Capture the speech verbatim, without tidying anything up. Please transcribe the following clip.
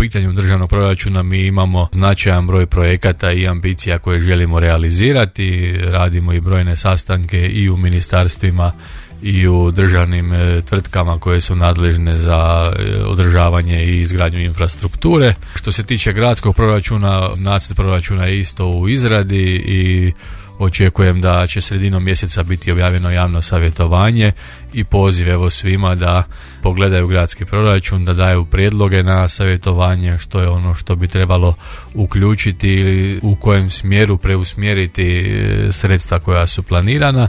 pitanju državnog proračuna mi imamo značajan broj projekata i ambicija koje želimo realizirati. Radimo i brojne sastanke i u ministarstvima i u državnim e, tvrtkama koje su nadležne za e, održavanje i izgradnju infrastrukture. Što se tiče gradskog proračuna, nacrt proračuna je isto u izradi i očekujem da će sredinom mjeseca biti objavljeno javno savjetovanje i poziv evo svima da pogledaju gradski proračun, da daju prijedloge na savjetovanje što je ono što bi trebalo uključiti ili u kojem smjeru preusmjeriti sredstva koja su planirana.